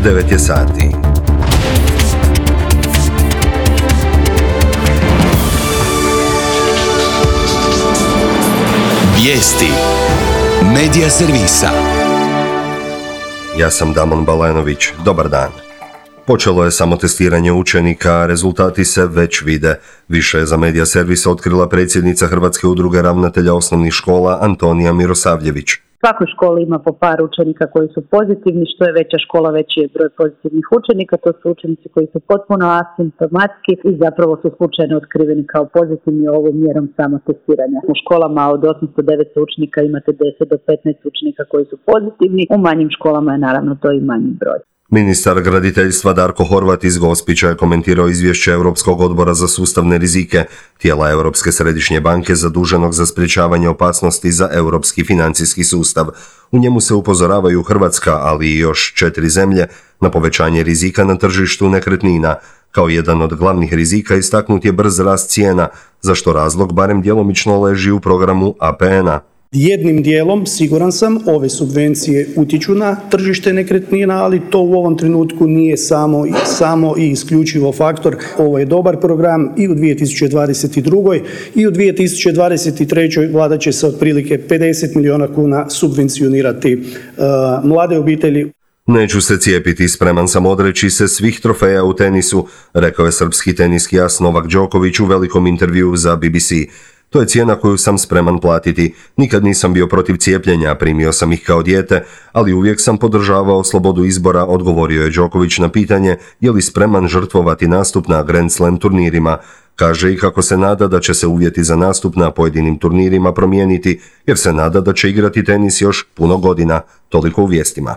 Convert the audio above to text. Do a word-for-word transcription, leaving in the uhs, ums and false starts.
devet je sati. Vijesti Medija servisa. Ja sam Damon Balenović. Dobar dan. Počelo je samotestiranje učenika, a rezultati se već vide. Više je za Medija servis otkrila predsjednica Hrvatske udruge ravnatelja osnovnih škola Antonija Mirosavljević. U svakoj školi ima po par učenika koji su pozitivni, što je veća škola, veći je broj pozitivnih učenika. To su učenici koji su potpuno asimptomatski i zapravo su slučajno otkriveni kao pozitivni ovom mjerom samotestiranja. U školama od osamsto do devetsto učenika imate deset do petnaest učenika koji su pozitivni, u manjim školama je naravno to i manji broj. Ministar graditeljstva Darko Horvat iz Gospića je komentirao izvješće Europskog odbora za sustavne rizike, tijela Europske središnje banke zaduženog za sprječavanje opasnosti za europski financijski sustav. U njemu se upozoravaju Hrvatska, ali i još četiri zemlje, na povećanje rizika na tržištu nekretnina. Kao jedan od glavnih rizika istaknut je brz rast cijena, za što razlog barem djelomično leži u programu A P N-a. Jednim dijelom, siguran sam, ove subvencije utječu na tržište nekretnina, ali to u ovom trenutku nije samo, samo i isključivo faktor. Ovo je dobar program i u dvije tisuće dvadeset drugoj i u dvije tisuće dvadeset trećoj vlada će se otprilike pedeset milijuna kuna subvencionirati uh, mlade obitelji. Neću se cijepiti, spreman sam odreći se svih trofeja u tenisu, rekao je srpski teniski as Novak Đoković u velikom intervjuu za B B C. To je cijena koju sam spreman platiti. Nikad nisam bio protiv cijepljenja, primio sam ih kao dijete, ali uvijek sam podržavao slobodu izbora, odgovorio je Đoković na pitanje je li spreman žrtvovati nastup na Grand Slam turnirima. Kaže i kako se nada da će se uvjeti za nastup na pojedinim turnirima promijeniti, jer se nada da će igrati tenis još puno godina. Toliko u vijestima.